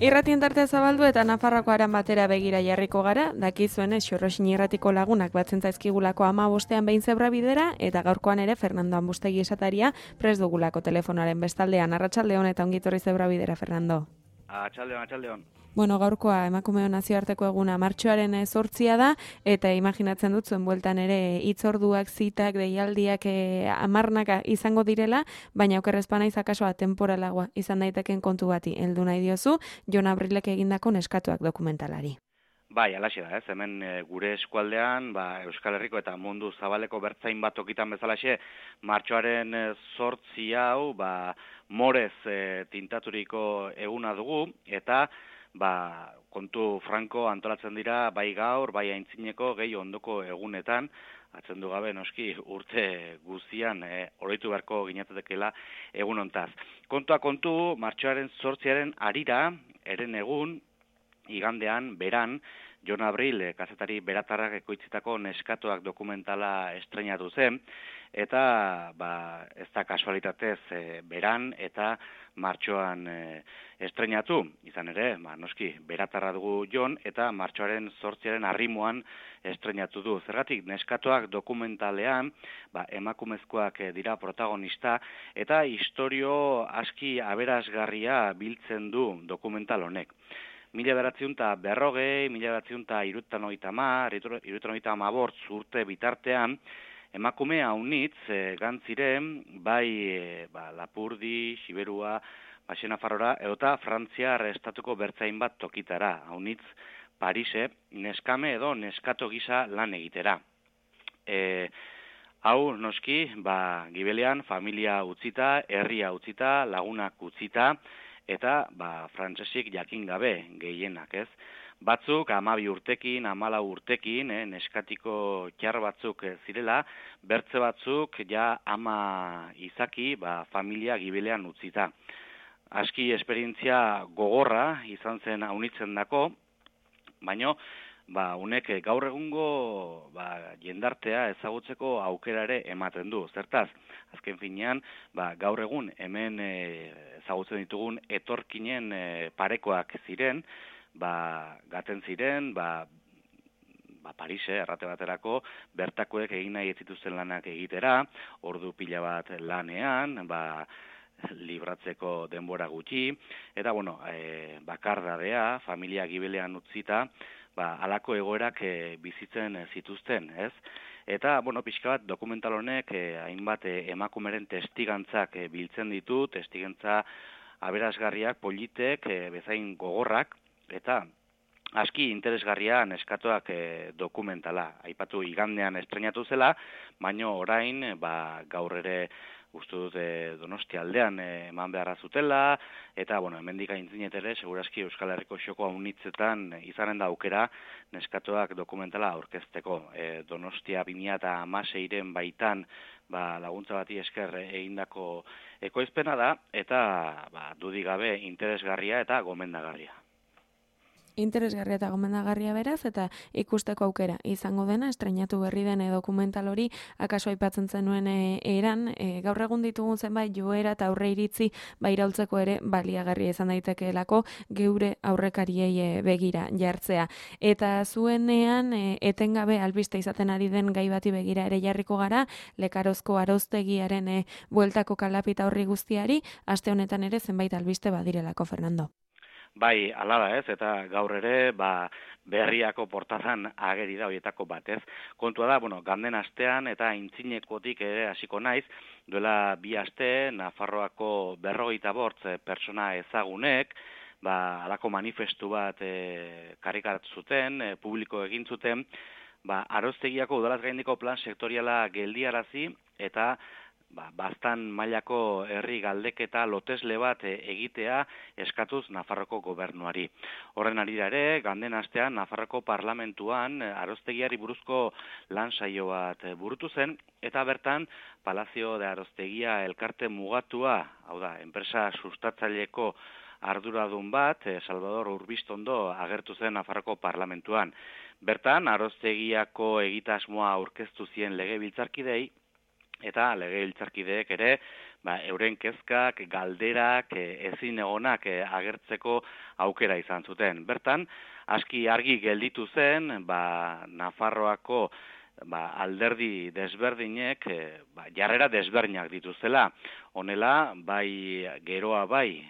Irratien tartea zabaldu eta Nafarroako aran batera begira jarriko gara, dakizuenez Xorroxin irratiko lagunak batzen zaizkigulako 15ean behin zebra bidera, eta gaurkoan ere Fernando Ambustegi esataria prest dugulako telefonaren bestaldean. Arratsaldeon eta ongitorri zebra bidera, Fernando. Atxaldeon. Bueno, gaurkoa emakumeo nazioarteko eguna martxoaren 8 da, eta imaginatzen dut zuen bueltan ere hitzorduak, zitak, deialdiak amarnaka izango direla, baina okerrezpana izakasoa temporalagoa izan daiteken kontu bati heldu nahi diozu, Jon Abrilek egindako neskatuak dokumentalari. Bai, alaxe da, hemen gure eskualdean, Euskal Herriko eta mundu zabaleko bertzain bat tokitan bezalaxe, martxoaren 8 hau, morez tintaturiko eguna dugu, eta kontu franko antolatzen dira bai gaur, bai aintzineko, gehi ondoko egunetan, atzendu gabe noski urte guztian oroitu beharko ginatetekela egun hontaz. Kontua kontu, martxoaren 8 arira, eren egun, igandean, beran, Jon Abril, kazetari beratarrak ekoitzitako neskatuak dokumentala estreinatu zen, eta ez da kasualitatez beran eta martxoan estreinatu. Izan ere, noski, beratarra dugu Jon, eta martxoaren 8 arrimoan estreinatu du. Zergatik, neskatuak dokumentalean, emakumezkoak dira protagonista, eta istorio aski aberasgarria biltzen du dokumental honek. 1940, 1930, urte bitartean, emakume haunitz gantziren, bai Lapurdi, Siberua, Nafarrora, edota Frantziar estatuko bertzain bat tokitara, haunitz Parise, neskame edo neskato gisa lan egitera. Hau, noski, gibelean familia utzita, herria utzita, lagunak utzita, eta frantsesik jakin gabe gehienak, ez? Batzuk 12 urtekin, 14 urtekin, neskatiko txar batzuk zirela, bertze batzuk ama izaki, familia gibelean utzita. Aski esperientzia gogorra izan zen haunitzen dako, baino unek gaur egungo jendartea ezagutzeko aukera ere ematen du. Zertaz, azken finean, gaur egun hemen ezagutzen ditugun etorkinen parekoak ziren, gaten ziren, Parise, errate baterako, bertakoek egin nahi ez zituzten lanak egitera, ordu pila bat lanean, libratzeko denbora gutxi, eta, bakardadea, familia gibelean utzita, halako egoerak bizitzen zituzten, ez? Eta, pixka bat, dokumental honek hainbat emakumeren testigantzak biltzen ditu, testigantza aberasgarriak, politek, bezain gogorrak, eta aski interesgarria neskatuak dokumentala. Aipatu igandean estreinatu zela, baino orain, gaur ere uste dut Donostia aldean eman beharra zutela, eta, hemendik aintzinet ere, segurazki Euskal Herriko xoko haunitzetan izanen da aukera neskatuak dokumentala aurkezteko. Donostia 2016 baitan laguntza bati esker egindako ekoizpena da, eta dudik gabe interesgarria eta gomendagarria. Interesgarria eta gomendagarria beraz, eta ikusteko aukera izango dena, estreinatu berri den dokumental hori, akaso aipatzen zenuen eran, gaur egun ditugun zenbait joera eta aurre iritzi iraultzeko ere baliagarria izan daitekeelako geure aurrekariei begira jartzea. Eta zuenean, etengabe albiste izaten ari den gai bati begira ere jarriko gara, Lekarozko Arauztegiaren bueltako kalapita horri guztiari, aste honetan ere zenbait albiste badirelako, Fernando. Bai, hala da ez, eta gaur ere, berriako portazan ageri da horietako bat, ez. Kontua da, ganden astean eta aintzinekotik ere hasiko naiz, duela 2 aste, Nafarroako 45 pertsona ezagunek, halako manifestu bat karikatu zuten, publiko egin zuten, Arauztegiako udalaz gaindiko plan sektoriala geldiarazi, eta baztan mailako herri galdeketa lotesle bat egitea eskatuz Nafarroko gobernuari. Horren arira ere, ganden astean Nafarroko parlamentuan Arauztegiari buruzko lan saio bat burutu zen, eta bertan Palazio de Arauztegia elkarte mugatua, hau da, enpresa sustatzaileko arduradun bat, Salvador Urbistondo agertu zen Nafarroko parlamentuan. Bertan, Arauztegiako egitasmoa aurkeztu zien legebiltzarkidei, eta legebiltzarkideek ere euren kezkak, galderak, ezin egonak agertzeko aukera izan zuten. Bertan, aski argi gelditu zen, Nafarroako alderdi desberdinek jarrera desberdinak dituztela. Honela, bai geroa bai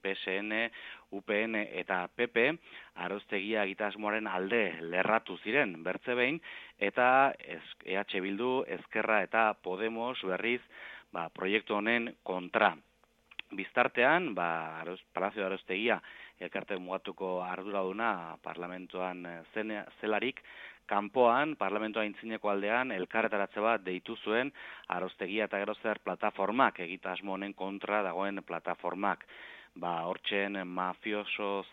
PSN, UPN eta PP, Arostegia egitasmoaren alde lerratu ziren bertze behin, eta EH Bildu, Ezkerra eta Podemos berriz proiektu honen kontra. Biztartean, Palazio de Arostegia elkarte mugatuko arduraduna parlamentuan zelarik, kanpoan, parlamentoa aintzineko aldean, elkarretaratze bat deitu zuen Arostegia eta gero zer plataformak, egitasmo honen kontra dagoen plataformak. Hortzen mafiosoz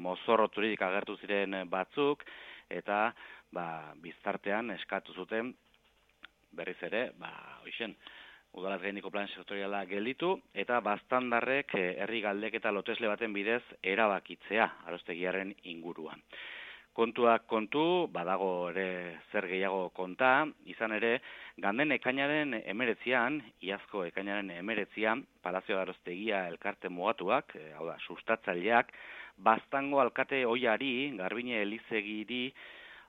mozorroturik agertu ziren batzuk, eta biztartean eskatu zuten, berriz ere, udalaz gaineko plan sektoriala gelditu, eta baztandarrek herri galdeketa lotesle baten bidez erabakitzea Arostegiaren inguruan. Kontuak kontu, badago ere zer gehiago konta, izan ere, ganden ekainaren 19, iazko ekainaren 19, Palazio de Arostegia elkarte mugatuak, sustatzaileak, baztango alkate oiari, Garbine Elizegiri,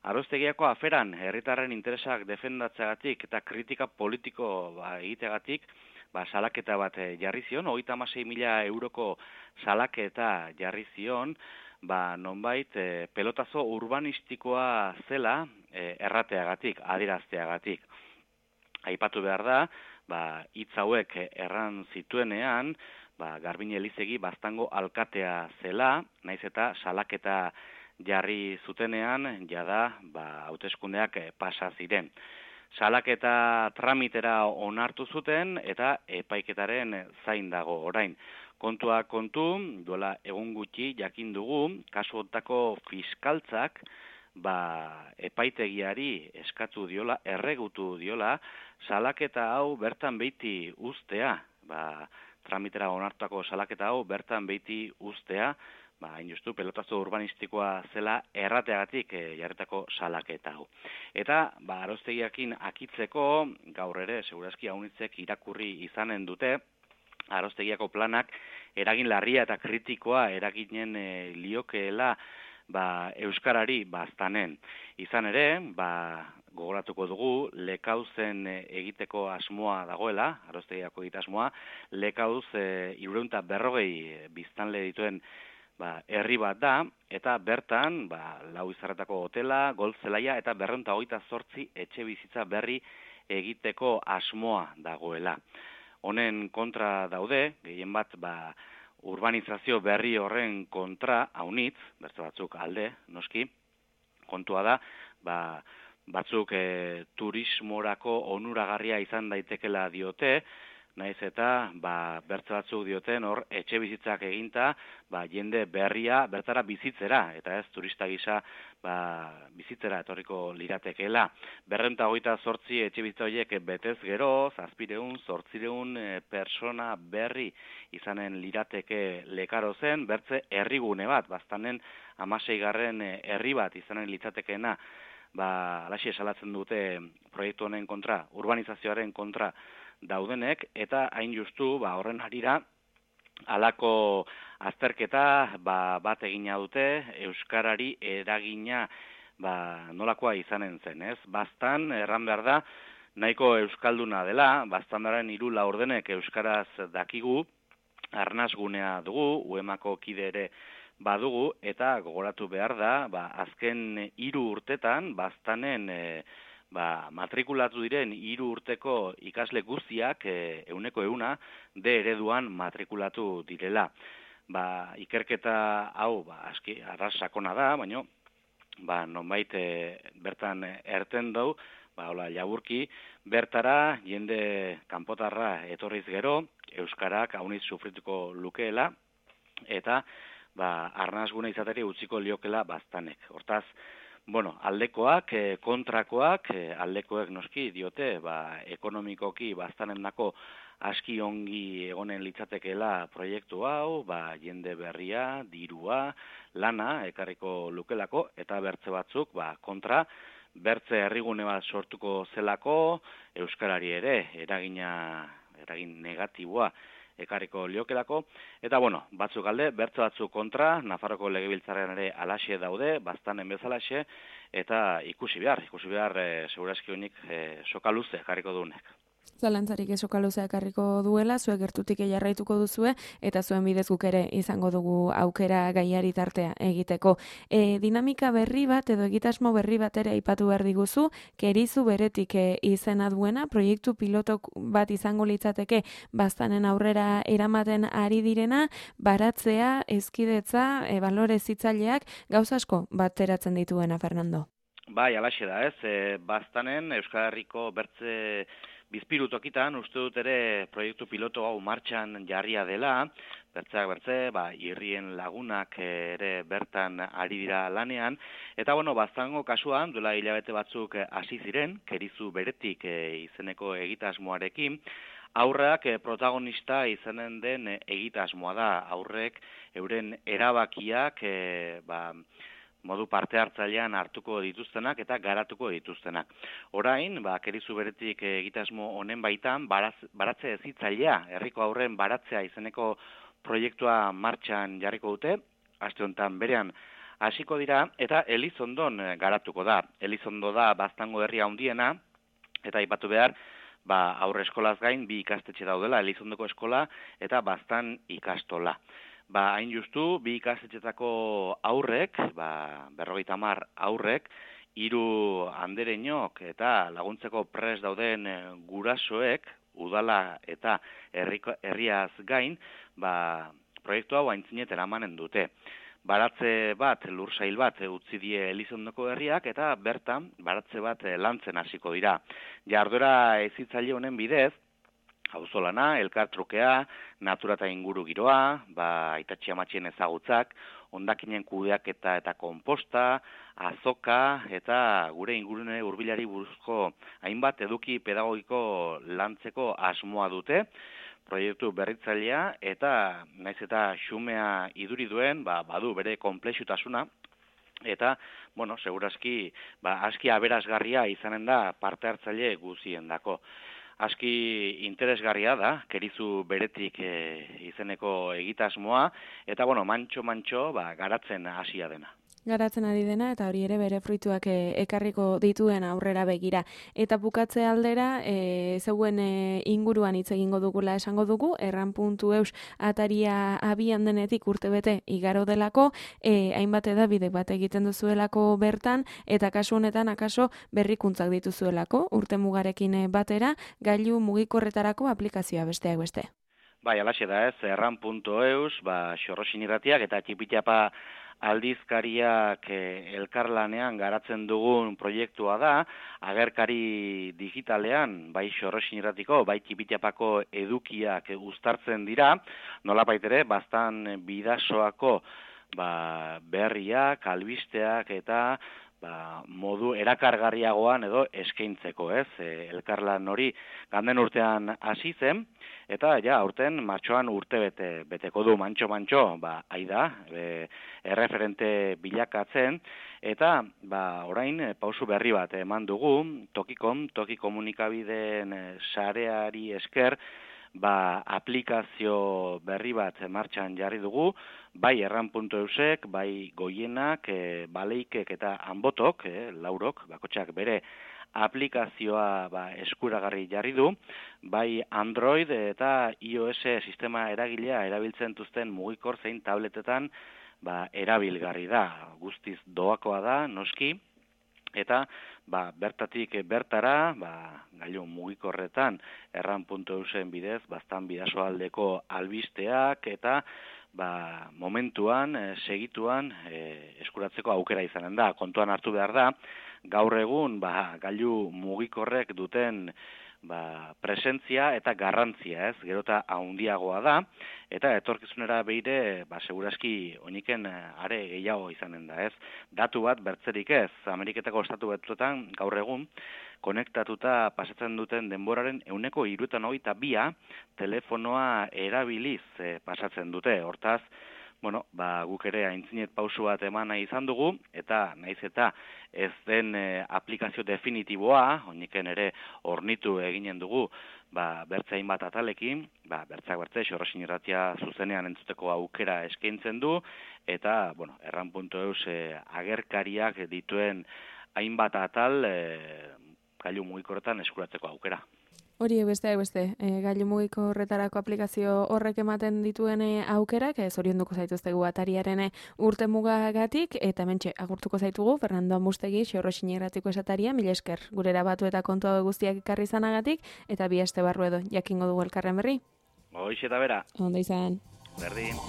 Arostegiako aferan herritarren interesak defendatzeagatik eta kritika politiko egiteagatik, salaketa bat jarri zion, 36.000 euroko salaketa jarri zion, nonbait pelotazo urbanistikoa zela errateagatik, adierazteagatik. Aipatu behar da, hitz hauek erran zituenean, Garbine Elizegi baztango alkatea zela, naiz eta salaketa jarri zutenean, jada, hauteskundeak pasa ziren. Salaketa tramitera onartu zuten eta epaiketaren zain dago orain. Kontua kontu, duela egun gutxi jakin dugu, kasu hontako fiskaltzak, epaitegiari eskatu diola, erregutu diola, salaketa hau bertan beiti ustea, tramitera onartutako salaketa hau bertan beiti ustea, hain justu, pelotazo urbanistikoa zela errateagatik jarretako salaketa hau. Eta, Arostegiakin akitzeko, gaur ere, segurazki haunitzek irakurri izanen dute, Arostegiako planak eragin larria eta kritikoa eraginen liokeela euskarari baztanen. Izan ere, gogoratuko dugu, lekauzen egiteko asmoa dagoela, Arostegiako egitasmoa, lekauz 340 biztanle dituen herri bat da, eta bertan, lau izarretako hotela, golf zelaia eta 228 etxe bizitza berri egiteko asmoa dagoela. Honen kontra daude, gehien bat, urbanizazio berri horren kontra, haunitz, beste batzuk alde, noski, kontua da, batzuk turismorako onuragarria izan daitekela diote, naiz eta bertze batzuk dioten hor etxe bizitzak eginta jende berria bertara bizitzera, eta ez turista gisa bizitzera etorriko liratekeela. 228 etxe bizitza horiek betez gero, 700-800 persona berri izanen lirateke lekaro zen, bertze herrigune bat, baztanen 16. herri bat izanen litzatekeena, alaxi esalatzen dute proiektu honen kontra, urbanizazioaren kontra daudenek, eta hain justu horren harira halako azterketa bat egina dute euskarari eragina nolakoa izanen zen, ez? Baztan, erran behar da, nahiko euskalduna dela, baztandaren 3 laurdenek euskaraz dakigu, arnasgunea dugu, UEMako kide ere badugu, eta gogoratu behar da, azken 3 urtetan, baztanen matrikulatu diren 3 urteko ikasle guztiak 100% D ereduan matrikulatu direla. Ikerketa hau aski arras sakona da, baina nonbait bertan erten dau, laburki, bertara jende kanpotarra etorriz gero, euskarak hauniz sufrituko lukeela, eta arnasgune izateri utziko liokela baztanek. Hortaz, aldekoak, kontrakoak, aldekoek noski diote, ekonomikoki baztanen dako aski ongi egonen litzatekeela proiektu hau, jende berria, dirua, lana, ekarriko lukelako, eta bertze batzuk, kontra, bertze herrigune bat sortuko zelako, euskarari ere eragin negatiboa ekarriko liokelako, eta batzuk alde, bertze batzuk kontra, Nafarroko Legebiltzarrean ere alaxe daude, baztanen bezalaxe, eta ikusi behar segurazki honik soka luze ekarriko duenek. Zalantzarik esoka luzea ekarriko duela, zuek gertutik jarraituko duzue, eta zuen bidez guk ere izango dugu aukera gaiari tartea egiteko. Dinamika berri bat edo egitasmo berri bat ere aipatu behar diguzu, Kerizu beretik izena duena, proiektu pilotok bat izango litzateke baztanen aurrera eramaten ari direna, baratzea, ezkidetza, balore zitzaileak, gauza asko bateratzen dituena, Fernando. Bai, alaxe da, ez? Baztanen Euskal Herriko bertze bizpiru tokitan, uste dut ere proiektu piloto hau martxan jarria dela, bertze, irrien lagunak ere bertan ari dira lanean, eta baztango kasuan, duela hilabete batzuk hasi ziren, Kerizu beretik izeneko egitasmoarekin, aurrak protagonista izanen den egitasmoa da, aurrek euren erabakiak, modu parte hartzailean hartuko dituztenak eta garatuko dituztenak. Orain, Kerizu beretik egitasmo honen baitan, baratze ezitzailea, herriko aurren baratzea izeneko proiektua martxan jarriko dute, aste honetan berean hasiko dira, eta Elizondon garatuko da. Elizondo da baztango herria handiena, eta aipatu behar, aurre eskolaz gain, 2 ikastetxe daudela, Elizondoko eskola eta baztan ikastola. Hain justu, 2 ikastetxetako aurrek, 50 aurrek, 3 andereñok eta laguntzeko prest dauden gurasoek, udala eta herriaz gain, proiektu hau aintzinet eramanen dute. Baratze bat, lursail bat utzi die Elizondoko herriak eta bertan baratze bat lantzen hasiko dira. Jarduera ezitzaile honen bidez, auzolana, elkartrukea, natura eta inguru giroa, aitatxi amatxien ezagutzak, hondakinen kudeaketa eta konposta, azoka eta gure ingurune hurbilari buruzko hainbat eduki pedagogiko lantzeko asmoa dute, proiektu berritzailea eta naiz eta xumea iduri duen, badu bere konplexutasuna, eta, segurazki, aski aberasgarria izanen da parte hartzaile guziendako. Aski interesgarria da, Kerizu beretik izeneko egitasmoa, eta mantxo, garatzen hasia dena. Garatzen ari dena, eta hori ere bere fruituak ekarriko dituen aurrera begira. Eta bukatze aldera, zeuen inguruan hitz egingo dugula esango dugu, erran.eus ataria abian denetik urtebete igaro delako, hainbat edabide bat egiten duzuelako bertan, eta kasu honetan akaso berrikuntzak dituzuelako, urte mugarekin batera, gailu mugikorretarako aplikazioa besteak beste. Bai, alaxe da ez, erran.eus, xorrosin irratiak eta txipitxapa aldizkariak elkarlanean garatzen dugun proiektua da, agerkari digitalean, bai xorrosin irratiko, bai txipitxapako edukiak uztartzen dira, nolapait ere, baztan bidasoako berriak, albisteak eta modu erakargarriagoan edo eskaintzeko, ez? Elkarlan hori ganden urtean hasi zen, eta aurten martxoan urte beteko du mantxo, aida, erreferente bilakatzen, eta orain pausu berri bat eman dugu, toki komunikabideen sareari esker, aplikazio berri bat martxan jarri dugu, bai erran.eusek, bai goienak, baleikek eta anbotok, laurok, bakotxak bere aplikazioa eskuragarri jarri du, bai Android eta iOS sistema eragilea erabiltzen duzten mugikor zein tabletetan erabilgarri da, guztiz doakoa da, noski, eta bertatik bertara, gailu mugikorretan erran.eusen bidez, baztan bidasoaldeko albisteak eta momentuan, segituan eskuratzeko aukera izanen da. Kontuan hartu behar da, gaur egun gailu mugikorrek duten presentzia eta garrantzia, ez, gerota handiagoa da, eta etorkizunera beire, segurazki oiniken are gehiago izanen da, ez. Datu bat bertzerik ez, Ameriketako estatu batuetan gaur egun, konektatuta pasatzen duten denboraren 192 telefonoa erabiliz pasatzen dute. Hortaz, guk ere aintzinet pausu bat eman nahi izan dugu, eta naiz eta ez den aplikazio definitiboa, honiken ere ornitu eginen dugu, bertze hainbat atalekin, bertzeak bertze, Xorrosin Irratia zuzenean entzuteko aukera eskaintzen du, eta, erran.eus agerkariak dituen hainbat atal gailu mugikorretan eskuratzeko aukera. Hori beste, gailu mugiko horretarako aplikazio horrek ematen dituen aukerak, zorionduko zaituztegu atariaren urte mugagatik, eta mentxe, agurtuko zaitugu, Fernando Amustegi, Xorrosin Irratiko esataria, mila esker, gurera batu eta kontua guztiak ekarri izanagatik, eta bi aste barru edo, jakingo dugu elkarren berri. Hoiz eta bera. Ondo izan. Berdin.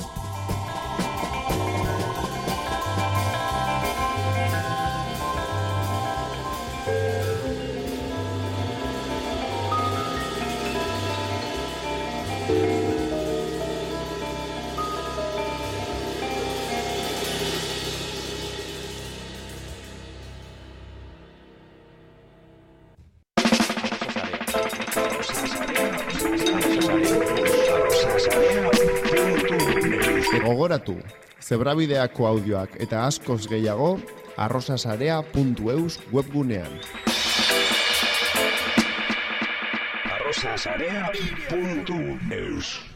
Gogoratu, zebrabideako audioak eta askoz gehiago arrosasarea.eus webgunean. arrosasarea.eus